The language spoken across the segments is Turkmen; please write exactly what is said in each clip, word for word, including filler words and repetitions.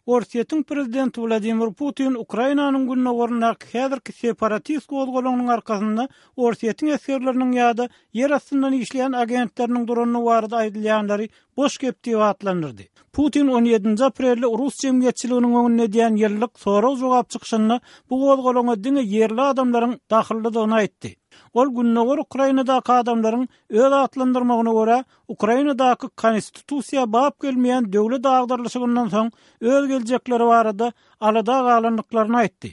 Orsýetiň prezidenti Wladimir Putin Ukrainanyň gündogaryndaky häzirki separatist gozgalaňynyň arkasynda Orsýetiň esgerleriniň ýa-da ýer astyndan işleýän agentleriniň durandygy barada aýdylýanlary boş gep diýip atlandyrdy. Putin on ýedinji aprelde rus jemgyýetçiliginiň öňünde edýän ýyllyk sorag-jogap çykyşynda bu gozgalaňa diňe ýerli adamlaryň dahyllydygyny aýtdy. Ol gündogar Ukrainadaky adamlaryň öz atlandyrmagyna görä Ukrainadaky konstitusiýa bap gelmeýän döwlet agdarlyşygyndan soň öz geljekleri barada alada galandyklaryny aýtdy.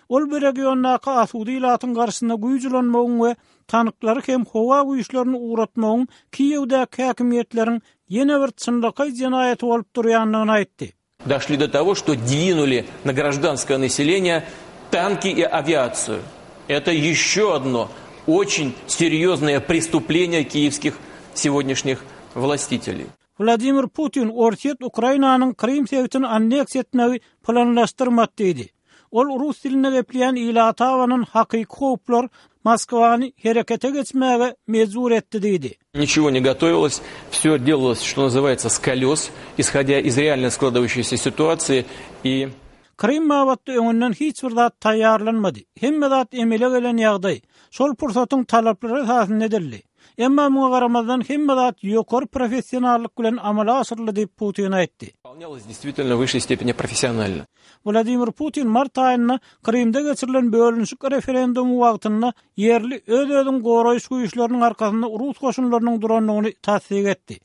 Ol bu regiondaky asuda ilatyň garşysynda güýç ulanmagyň we tanklary hem howa güýçlerini ugratmagyň Kiýewdäki häkimiýetleriň ýene bir çynlakaý jenaýaty bolup durýandygyny aýtdy. Doşli do togo, что двинули на гражданское население танки и авиацию. Это еще одно очень серьезное преступление киевских сегодняшних властителей. Wladimir Putin Orsýet Ukrainanyň Krym sebitini anneksiýa etmegi planlaşdyrmady diýdi. Ol rus dilinde gepleýän ilata abanan hakyky howplar Moskwany herekete geçmäge mejbur etdi diýdi. Ничего не готовилось, все делалось, что называется, с колес, исходя из реально складывающейся ситуации и Krym babatda öňünden hiç bir zat taýýarlanmady. Hemme zat emele gelen ýagdaý. Şol pursatyň talaplary esasynda edildi. Emma muňa garamazdan hemme zat ýokary professionallyk bilen amala aşyryldy diýip Putin aýtdy. Выполнялось действительно в высшей степени professionально. Wladimir Putin mart aýynda Krymda geçirilen bölünişik referendumy wagtynda ýerli öz-özüň goraýyş güýçleriniň arkasynda rus goşunlarynyň durandygyny tassyk etdi.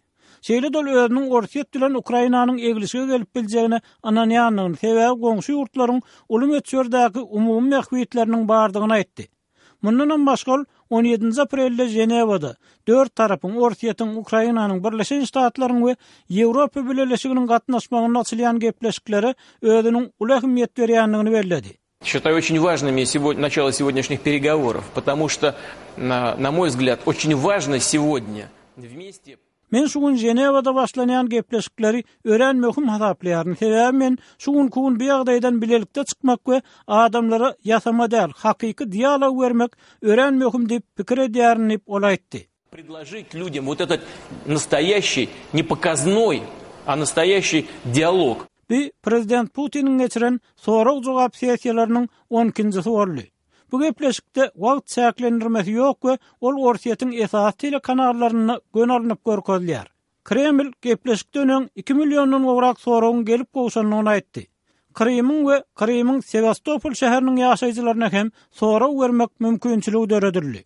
Şeýle-de ol özüniň Orsýet bilen Ukrainanyň eglişige gelip biljegine ynanýandygyny, sebäbi goňşy ýurtlaryň uly möçberdäki umumy bähbitleriniň bardygyny aýtdy. Mundanam başga ol on ýedinji aprelde Ženewada dört tarapyň Orsýetiň, Ukrainanyň, Birleşen Ştatlaryň we Ýewropa Bileleşiginiň gatnaşmagynda açylýan gepleşiklere özüniň uly ähmiýet berýändigini belledi. Считаю очень важными сегодня, начало сегодняшних переговоров, потому что, на, на мой взгляд, очень важно сегодня вместе Men şu gün Ženewada başlanýan gepleşikleri örän möhüm hasaplaýaryn. Sebäbi men şu günki gün bu ýagdaýdan bilelikde çykmak we adamlara ýasama däl, hakyky dialog bermek örän möhüm diýip pikir edýärin diýip ol aýtdy. Предложить людям вот этот настоящий, не показной, а настоящий диалог. Bu prezident Putiniň geçiren sorag-jogap sessiýalarynyň on ikinjisi boldy. Bu gepleşikde wagt çäklendirmesi ýok we ol Orsýetiň esasy telekanallarynda gön alnyp görkezilýär. Kreml gepleşikden öň iki milliondan gowrak soragyň gelip gowşandygyny aýtdy. Krymyň we Krymyň Sewastopol şäheriniň ýaşaýjylaryna hem sorag bermek mümkinçiligi döredildi.